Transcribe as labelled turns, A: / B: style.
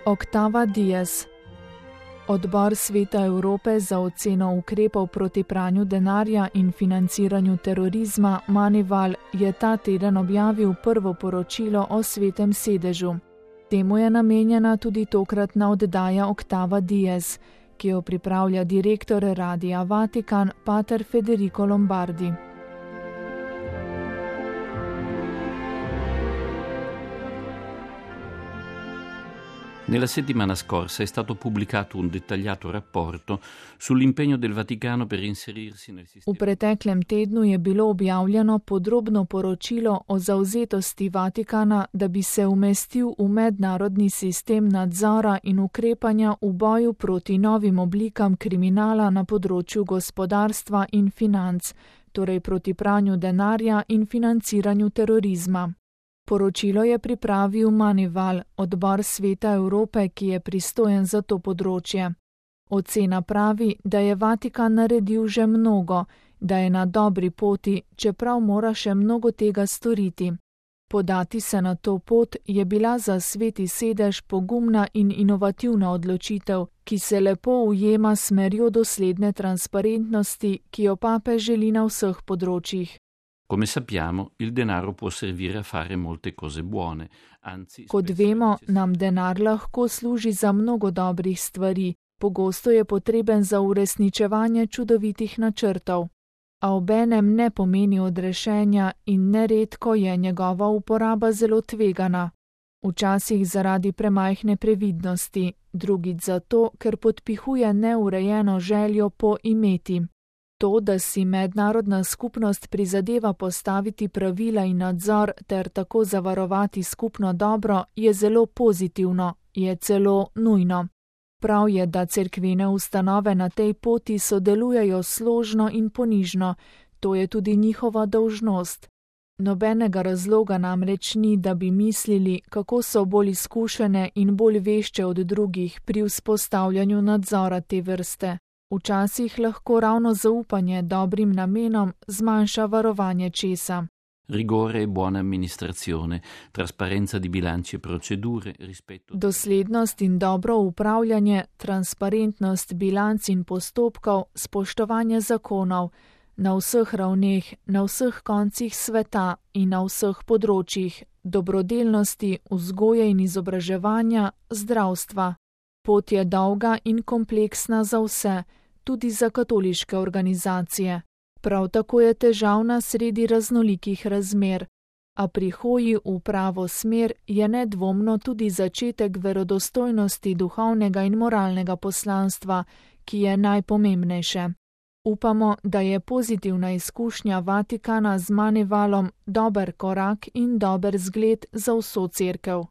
A: Octava Diez. Odbor Sveta Evrope za oceno ukrepov proti pranju denarja in financiranju terorizma Manival je ta teden objavil prvo poročilo o Svetem sedežu. Temu je namenjena tudi tokratna oddaja Octava Diez, ki jo pripravlja direktor Radia Vatikan pater Federico Lombardi.
B: Nella settimana scorsa è stato pubblicato un dettagliato rapporto sull'impegno del Vaticano per inserirsi nel sistema.
A: V preteklem tednu je bilo objavljeno podrobno poročilo o zavzetosti Vatikana, da bi se umestil v mednarodni sistem nadzora in ukrepanja v boju proti novim oblikam kriminala na področju gospodarstva in financ, torej proti pranju denarja in financiranju terorizma. Poročilo je pripravil Manival, odbor Sveta Evrope, ki je pristojen za to področje. Ocena pravi, da je Vatikan naredil že mnogo, da je na dobri poti, čeprav mora še mnogo tega storiti. Podati se na to pot je bila za Sveti sedež pogumna in inovativna odločitev, ki se lepo ujema s smerjo dosledne transparentnosti, ki jo papež želi na vseh področjih.
B: Come sappiamo, il denaro può servire a fare molte cose buone, anzi...
A: Kot vemo, nam denar lahko služi za mnogo dobrih stvari, pogosto je potreben za uresničevanje čudovitih načrtov, a obenem ne pomeni odrešenja in neredko je njegova uporaba zelo tvegana. Včasih zaradi premajhne previdnosti, drugič zato, ker podpihuje neurejeno željo po imeti. To, da si mednarodna skupnost prizadeva postaviti pravila in nadzor ter tako zavarovati skupno dobro, je zelo pozitivno, je celo nujno. Prav je, da cerkvene ustanove na tej poti sodelujejo složno in ponižno, to je tudi njihova dolžnost. Nobenega razloga namreč ni, da bi mislili, kako so bolj izkušene in bolj vešče od drugih pri vzpostavljanju nadzora te vrste. Včasih lahko ravno zaupanje dobrim namenom zmanjša varovanje česa.
B: Rigore e buona amministrazione, trasparenza di bilanci e procedure, rispetto...
A: Doslednost in dobro upravljanje, transparentnost bilanc in postopkov, spoštovanje zakonov, na vseh ravneh, na vseh koncih sveta in na vseh področjih, dobrodelnosti, vzgoje in izobraževanja, zdravstva. Pot je dolga in kompleksna za vse, tudi za katoliške organizacije. Prav tako je težavna sredi raznolikih razmer, a pri hoji v pravo smer je nedvomno tudi začetek verodostojnosti duhovnega in moralnega poslanstva, ki je najpomembnejše. Upamo, da je pozitivna izkušnja Vatikana z Manivalom dober korak in dober zgled za vso cerkev.